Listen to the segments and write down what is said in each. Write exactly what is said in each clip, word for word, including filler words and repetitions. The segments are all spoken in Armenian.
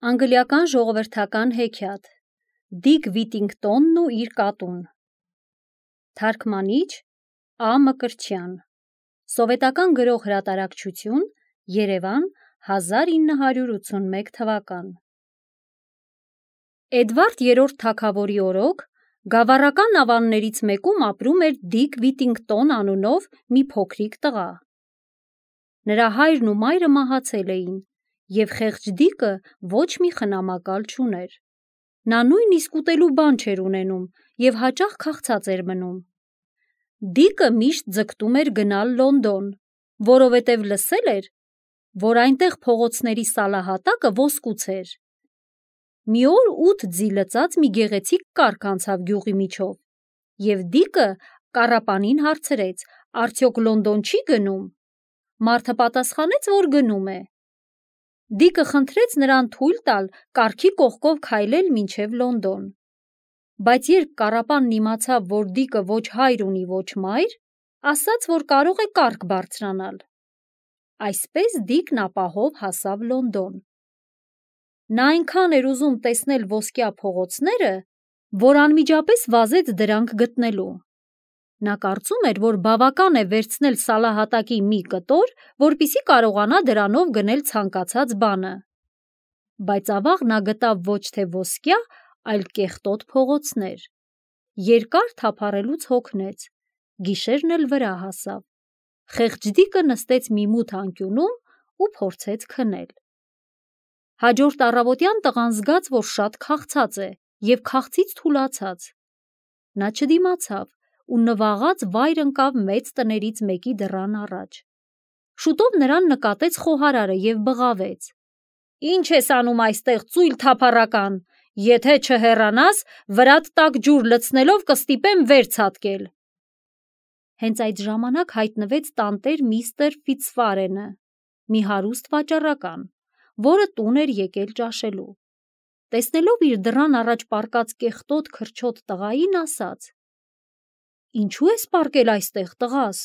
Անգլիական ժողովրդական հեքիաթ Դիկ Վիտինգտոնն ու իր կատուն Թարգմանիչ Ա. Մկրտչյան Սովետական գրող հրատարակչություն Երևան հազար ինը հարյուր ութսունմեկ թվական Էդվարդ երրորդ թագավորի օրոք գավառական ավաններից մեկում ապրում էր Դիկ Վիտինգտոն անունով մի փոքրիկ տղա։ Նրա հայրն ու մայրը մահացել էին, և խեղճ Դիկը ոչ մի խնամակալ չուներ։ Նա նույնիսկ ուտելու բան չէր ունենում և հաճախ քաղցած էր մնում։ Դիկը միշտ ձգտում էր գնալ Լոնդոն, որովհետև լսել էր, որ այնտեղ փողոցների սալահատակը ոսկուց էր։ Մի օր ութ ձի լծած մի գեղեցիկ կառք անցավ գյուղի միջով, և Դիկը կառապանին հարցրեց, արդյոք Լոնդոն չի գնում։ Մարդը պատասխանեց, որ գնում է։ Դիկը խնդրեց նրան թույլ տալ կառքի կողքով քայլել մինչև Լոնդոն։ Բայց երբ կառապանն իմացավ, որ Դիկը ոչ հայր ունի, ոչ մայր, ասաց, որ կարող է կառք բարձրանալ։ Այսպես Դիկն ապահով հասավ Լոնդոն։ Նա այնքան էր ուզում տեսնել ոսկյա փողոցները, որ անմիջապես վազեց դրանք գտնելու։ Նա կարծում էր, որ բավական է վերցնել սալահատակի մի կտոր, որպեսզի կարողանա դրանով գնել ցանկացած բանը։ Բայց ավաղ նա գտավ ոչ թե ոսկյա, այլ կեղտոտ փողոցներ։ Երկար թափառելուց հոգնեց, գիշերն էլ վրա հասավ։ Խեղճ Դիկը նստեց մի մութ անկյունում ու փորձեց քնել։ Հաջորդ առավոտյան տղան զգաց, որ շատ քաղցած է և քաղցից թուլացած։ Նա չդիմացավ ու նվաղած վայր ընկավ մեծ տներից մեկի դռան առաջ։ Շուտով նրան նկատեց խոհարարը և բղավեց. «Ի՞նչ ես անում այստեղ, ծույլ թափառական, եթե չհեռանաս, վրադ տաք ջուր լցնելով կստիպեմ վեր ցատկել»։ Հենց այդ ժամանակ հայտնվեց տանտեր միստր Ֆիցվարենը, մի հարուստ վաճառական, որը տուն էր եկել ճաշելու։ Տեսնելով իր դռան առաջ պառկած կեղտոտ քրչոտ տղային, ասաց. «Ինչու ես պառկել այստեղ, տղաս։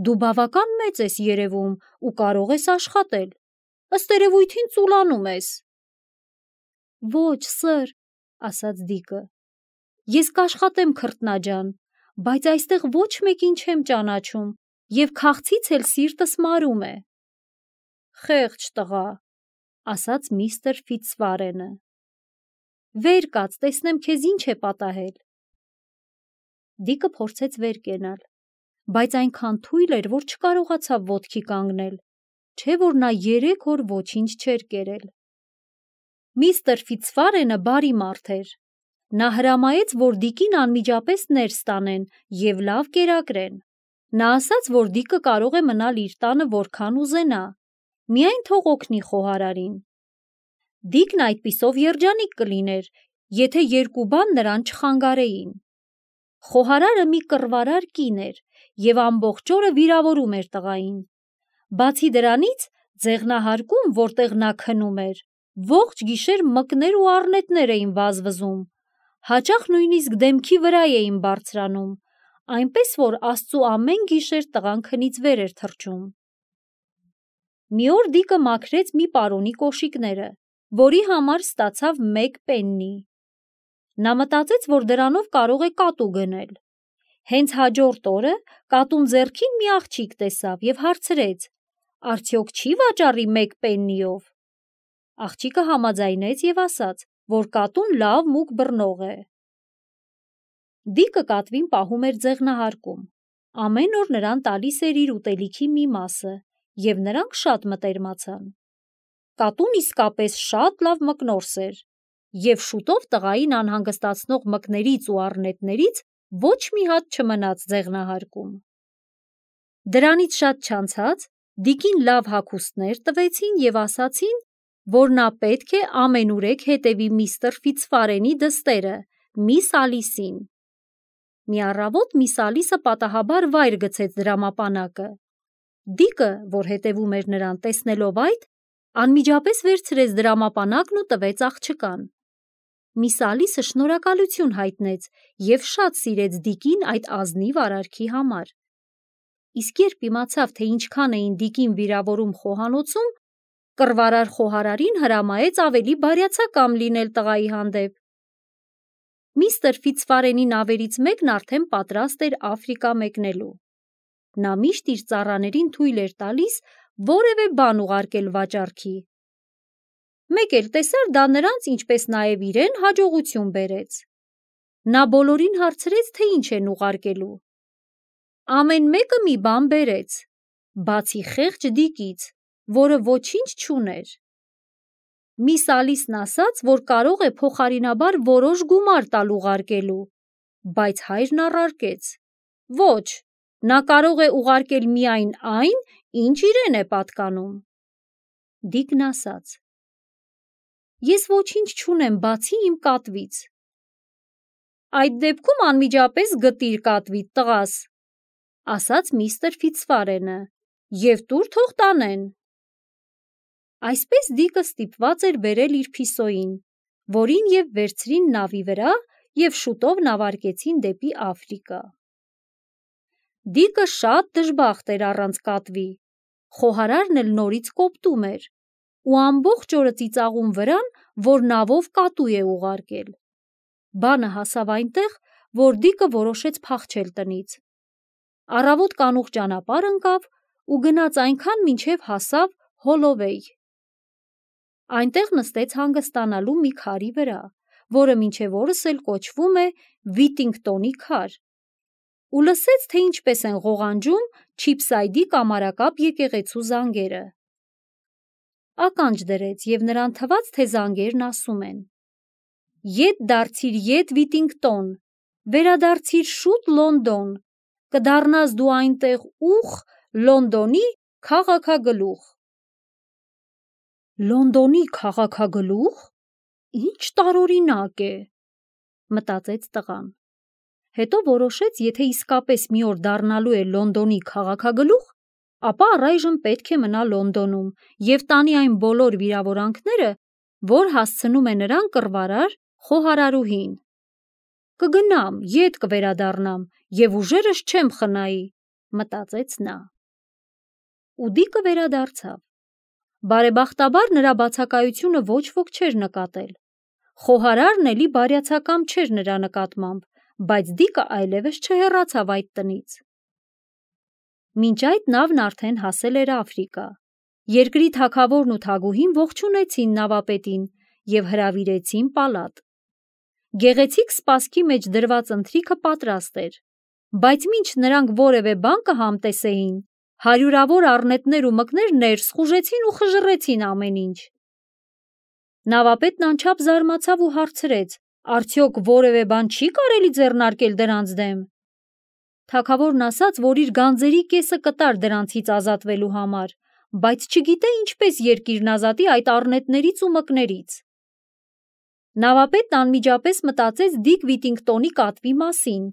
Դու բավական մեծ ես երևում ու կարող ես աշխատել, ըստ երևույթին ծուլանում ես»։ «Ոչ, սըր», ասաց Դիկը, «ես կաշխատեմ, քրտնաջան, բայց այստեղ ոչ մեկին չեմ ճանաչում և քաղցից էլ սիրտս մարում է»։ «Խեղճ տղա», ասաց միստր Ֆիցվարենը, «վեր կաց, տեսնեմ քեզ ինչ է պատահել»։ Դիկը փորձեց վեր կենալ, բայց այնքան թույլ էր, որ չկարողացավ ոտքի կանգնել, չէ որ նա երեք օր ոչինչ չէր կերել։ Միստր Ֆիցվարենը բարի մարդ էր։ Նա հրամայեց, որ Դիկին անմիջապես ներս տանեն և լավ կերակրեն։ Նա ասաց, որ Դիկը կարող է մնալ իր տանը որքան ուզենա, միայն թող օգնի խոհարարին։ Դիկն այդպիսով երջանիկ կլիներ, եթե երկու բան նրան չխանգարեին։ Խոհարարը մի կռվարար կին էր և ամբողջ օրը վիրավորում էր տղային։ Բացի դրանից, ձեղնահարկում, որտեղ նա քնում էր, ողջ գիշեր մկներ ու առնետներ էին վազվզում, հաճախ նույնիսկ դեմքի վրա էին բարձրանում, այնպես որ Աստծու ամեն գիշեր տղան քնից վեր էր թռչում։ Մի օր Դիկը մաքրեց մի պարոնի կոշիկները, որի համար ստացավ մեկ պեննի։ Նա մտածեց, որ դրանով կարող է կատու գնել։ Հենց հաջորդ օրը կատուն ձեռքին մի աղջիկ տեսավ և հարցրեց. «Արդյոք չի վաճառի մեկ պեննիով»։ Աղջիկը համաձայնեց և ասաց, որ կատուն լավ մուկ բռնող է։ Դիկը կատվին պահում էր ձեղնահարկում։ Ամեն օր նրան տալիս էր իր ուտելիքի մի մասը, և նրանք շատ մտերմացան։ Կատուն իսկապես շատ լավ մկնորս էր, և շուտով տղային անհանգստացնող մկներից ու առնետներից ոչ մի հատ չմնաց ձեղնահարկում։ Դրանից շատ չանցած Դիկին լավ հագուստներ տվեցին և ասացին, որ նա պետք է ամենուրեք հետևի միստր Ֆիցվարենի դստերը՝ միս Ալիսին։ Մի առավոտ միս Ալիսը պատահաբար վայր գցեց դրամապանակը։ Դիկը, որ հետևում էր նրան, տեսնելով այդ, անմիջապես վերցրեց դրամապանակն ու տվեց աղջկան։ Միս Ալիսը շնորհակալություն հայտնեց և շատ սիրեց Դիկին այդ ազնիվ արարքի համար։ Իսկ երբ իմացավ, թե ինչքան էին Դիկին վիրավորում խոհանոցում, կռվարար խոհարարին հրամայեց ավելի բարյացակամ լինել տղայի հանդեպ։ Միստր Ֆիցվարենի նավերից մեկն արդեն պատրաստ էր Աֆրիկա մեկնելու։ Նա միշտ իր ծառաներին թույլ էր տալիս որևէ բան ուղարկել վաճառքի։ Մեկ էլ տեսար դա նրանց, ինչպես նաև իրեն հաջողություն բերեց։ Նա բոլորին հարցրեց, թե ինչ են ուղարկելու։ Ամեն մեկը մի բան բերեց, բացի խեղճ Դիկից, որը ոչինչ չուներ։ Միս Ալիսն ասաց, որ կարող է փոխարինաբար որոշ գումար տալ ուղարկելու, բայց հայրն առարկեց. ոչ, նա կարող է ուղարկել միայն այն, ինչ իրեն է պատկանում։ Դիկն ասաց. ես ոչինչ չունեմ, բացի իմ կատվից։ Այդ դեպքում անմիջապես գտիր կատվիդ, տղաս, ասաց միստր Ֆիցվարենը, և տուր թող տանեն։ Այսպես Դիկը ստիպված էր բերել իր փիսոյին, որին և վերցրին նավի վրա և շուտով նավարկեցին դեպի Աֆրիկա։ Դիկը շատ դժբախտ էր առանց կատվի, խոհարարն էլ նորից կոպտում էր ու ամբողջ օրը ծիծաղում վրան, որ նավով կատու է ուղարկել։ Բանը հասավ այնտեղ, որ Դիկը որոշեց փախչել տնից։ Առավոտ կանուխ ճանապարհ ընկավ ու գնաց այնքան, մինչև հասավ Հոլովեյ։ Այնտեղ նստեց հանգստանալու մի քարի վրա, որը մինչև օրս էլ կոչվում է Վիտինգտոնի քար, ու լսեց, թե ինչպես են ղողանջում Չիփսայդի կամարակապ եկեղեցու զանգերը։ Ականջ դրեց և նրան թվաց, թե զանգերն ասում են. «Ետ դարձիր, ետ Վիտինգտոն, վերադարձիր շուտ Լոնդոն, կդառնաս դու այնտեղ ուխ Լոնդոնի քաղաքագլուխ»։ Լոնդոնի քաղաքագլուխ, ինչ տարօրինակ է, մտածեց տղան։ Հետո որոշեց, եթե իսկապես մի օր դառնալու է Լոնդոնի քաղաքագլուխ, ապա առայժմ պետք է մնա Լոնդոնում և տանի այն բոլոր վիրավորանքները, որ հասցնում է նրան կռվարար խոհարարուհին։ Կգնամ, ետ կվերադառնամ և ուժերս չեմ խնայի, մտածեց նա։ Ու Դիկը վերադարձավ։ Բարեբախտաբար նրա բացակայությունը ոչ ոք չէր նկատել։ Խոհարարն էլի բարյացակամ չէր նրա նկատմամբ, բայց Դիկը այլևս չհեռացավ այդ տնից։ Մինչ այդ նավն արդեն հասել էր Աֆրիկա։ Երկրի թագավորն ու թագուհին ողջունեցին նավապետին և հրավիրեցին պալատ։ Գեղեցիկ սպասքի մեջ դրված ընթրիքը պատրաստ էր, բայց մինչ նրանք որևէ բան կհամտեսեին, հարյուրավոր առնետներ ու մկներ ներս խուժեցին ու խժռեցին ամեն ինչ։ Նավապետն անչափ զարմացավ ու հարցրեց. արդյոք որևէ բան չի կարելի ձեռնարկել դրանց դեմ։ Թագավորն ասաց, որ իր գանձերի կեսը կտար դրանցից ազատվելու համար, բայց չգիտե ինչպես երկիրն ազատի այդ առնետներից ու մկներից։ Նավապետն անմիջապես մտածեց Դիկ Վիտինգտոնի կատվի մասին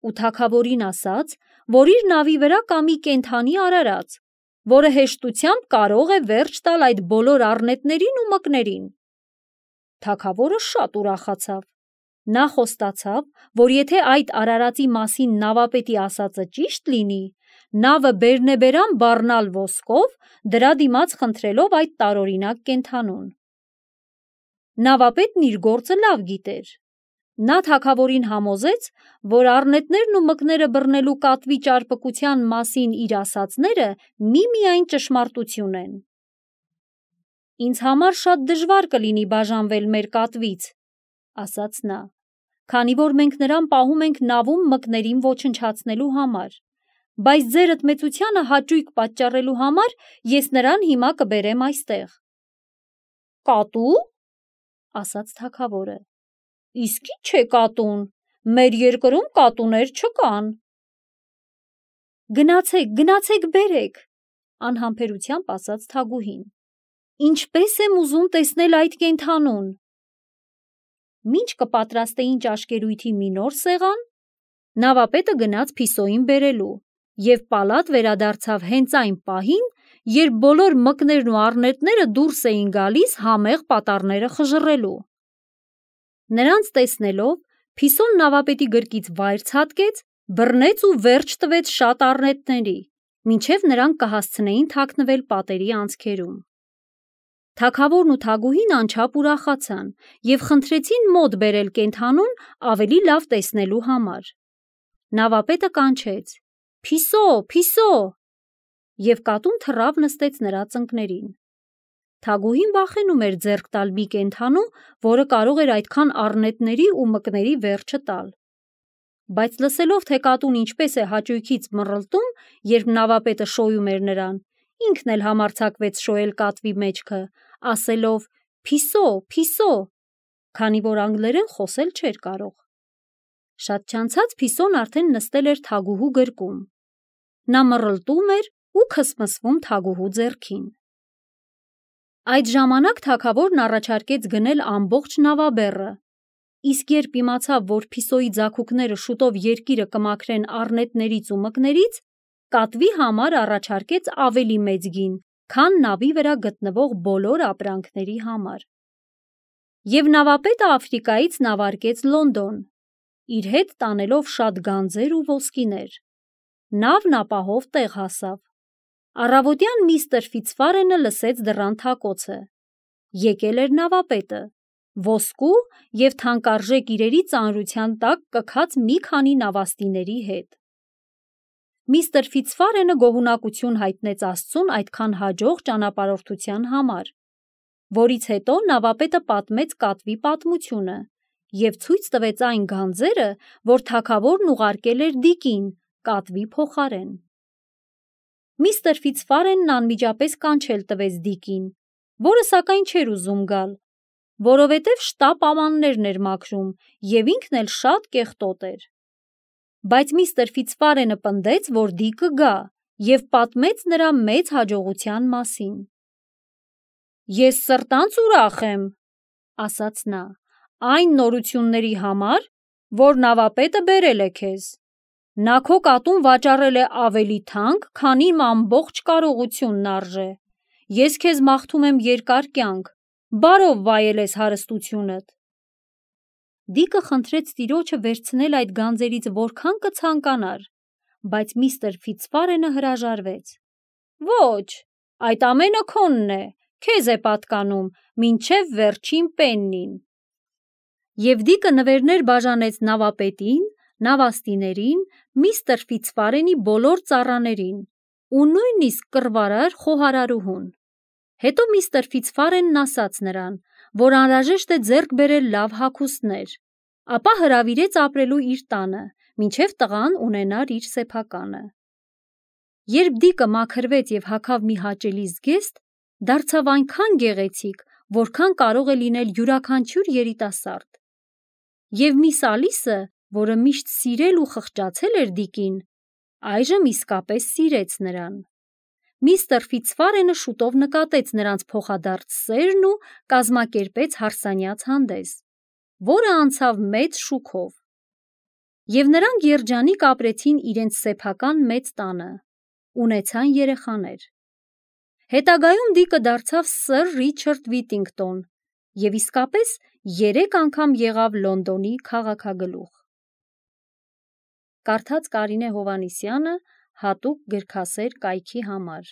ու թագավորին ասաց, որ իր նավի վրա կա մի կենդանի արարած, որը հեշտությամբ կարող է վերջ տալ այդ բոլոր առնետներին ու մկներին։ Թագավորը շատ ուրախացավ։ Նա խոստացավ, որ եթե այդ արարածի մասին նավապետի ասածը ճիշտ լինի, նավը բերնեբերան բառնալ ոսկով, դրա դիմաց խնդրելով այդ տարօրինակ կենդանուն։ Նավապետն իր գործը լավ գիտեր։ Նա թագավորին համոզեց, որ առնետներն ու մկները բռնելու կատվի ճարպկության մասին իր ասածները միմիայն ճշմարտություն են։ Ինձ համար շատ դժվար կլինի բաժանվել մեր կատվից, ասաց նա, քանի որ մենք նրան պահում ենք նավում մկներին ոչնչացնելու համար, բայց ձեր ընդմեծությանը հաճույք պատճառելու համար ես նրան հիմա կբերեմ այստեղ։ Կատու՞, ասաց թագավորը։ Իսկ ի՞նչ է կատուն, մեր երկրում կատուներ չկան։ Գնացեք, գնացեք բերեք, անհամբերությամբ ասաց թագուհին։ Ինչպես եմ ուզում տեսնել այդ կենդանուն։ Մինչ կպատրաստեին ճաշկերույթի մի նոր սեղան, նավապետը գնաց փիսոյին բերելու և պալատ վերադարձավ հենց այն պահին, երբ բոլոր մկներն ու առնետները դուրս էին գալիս համեղ պատառները խժռելու։ Նրանց տեսնելով, փիսոն նավապետի գրկից վայր ցատկեց, բռնեց ու վերջ տվեց շատ առնետների, մինչև նրանք կհասցնեին թաքնվել պատերի անցքերում։ Թագավորն ու թագուհին անչափ ուրախացան և խնդրեցին մոտ բերել կենդանուն ավելի լավ տեսնելու համար։ Նավապետը կանչեց. «Փիսո, Փիսո», և կատուն թռավ նստեց նրա ծնկներին։ Թագուհին վախենում էր ձեռք տալ մի կենդանու, որը կարող էր այդքան առնետների ու մկների վերջը տալ։ Բայց լսելով, թե կատուն ինչպես է հաճույքից մռլտում, երբ նավապետը շոյում էր նրան, ինքն էլ համարձակվեց շոյել կատվի մեջքը, ասելով. «Փիսո, Փիսո», քանի որ անգլերեն խոսել չէր կարող։ Շատ չանցած Փիսոն արդեն նստել էր թագուհու գրկում։ Նա մռլտում էր ու քսմսվում թագուհու ձեռքին։ Այդ ժամանակ թագավորն առաջարկեց գնել ամբողջ նավաբեռը, իսկ երբ իմացավ, որ Փիսոյի ձագուկները շուտով երկիրը կմաքրեն առնետներից ու մկներից, կատվի համար առաջարկեց ավելի մեծ գին, քան նավի վրա գտնվող բոլոր ապրանքների համար։ Եվ նավապետը Աֆրիկայից նավարկեց Լոնդոն, իր հետ տանելով շատ գանձեր ու ոսկիներ։ Նավն ապահով տեղ հասավ։ Առավոտյան միստր Ֆիցվարենը լսեց դռան թակոցը։ Եկել էր նավապետը, ոսկու և թանկարժեք իրերի ծանրության տակ կքած մի քանի նավաստիների հետ։ Միստր Ֆիցվարենը գոհունակություն հայտնեց Աստծուն այդքան հաջող ճանապարհորդության համար, որից հետո նավապետը պատմեց կատվի պատմությունը և ցույց տվեց այն գանձերը, որ թագավորն ուղարկել էր դիկին կատվի փոխարեն։ Միստր Ֆիցվարենն անմիջապես կանչել տվեց դիկին, որը սակայն չէր ուզում գալ, որովհետև շտապ ամաններն էր մաքրում և ինքն էլ շատ կեղտոտ էր։ Բայց միստր Ֆիցվարենը պնդեց, որ դիկը գա, և պատմեց նրա մեծ հաջողության մասին։ «Ես սրտանց ուրախ եմ», ասաց նա, «այն նորությունների համար, որ նավապետը բերել է քեզ։ Նա քո կատուն վաճառել է ավելի թանկ, քան իմ ամբողջ կարողությունն արժե։ Ես քեզ մաղթում եմ երկար կյանք, բարով վայելես հարստությունդ»։ Դիկը խնդրեց տիրոջը վերցնել այդ գանձերից որքան կցանկանար, բայց միստր Ֆիցվարենը հրաժարվեց։ «Ոչ, այդ ամենը քոնն է, քեզ է պատկանում, մինչև վերջին պեննին»։ Եվ դիկը նվերներ բաժանեց նավապետին, նավաստիներին, միստր Ֆիցվարենի բոլոր ծառաներին ու նույնիսկ կռվարար խոհարարուհուն։ Հետո միստր Ֆիցվարենն ասաց նրան, որ անհրաժեշտ է ձեռք բերել լավ հագուստներ, ապա հրավիրեց ապրելու իր տանը, մինչև տղան ունենար իր սեփականը։ Երբ դիկը մաքրվեց և հագավ մի հաճելի զգեստ, դարձավ այնքան գեղեցիկ, որքան կարող է լինել յուրաքանչյուր երիտասարդ։ Եվ միս Ալիսը, որը միշտ սիրել ու խղճացել էր դիկին, այժմ իսկապես սիրեց նրան։ Միստր Ֆիցվարենը շուտով նկատեց նրանց փոխադարձ սերն ու կազմակերպեց հարսանյաց հանդես, որը անցավ մեծ շուքով։ Եվ նրանք երջանիկ ապրեցին իրենց սեփական մեծ տանը, ունեցան երեխաներ։ Հետագայում դիկը դարձավ սըր Ռիչարդ Վիթինգտոն և իսկապես երեք անգամ եղավ Լոնդոնի քաղաքագլուխ։ Կարդաց Կարինե Հովհաննիսյանը հատուկ գրքասեր կայքի համար։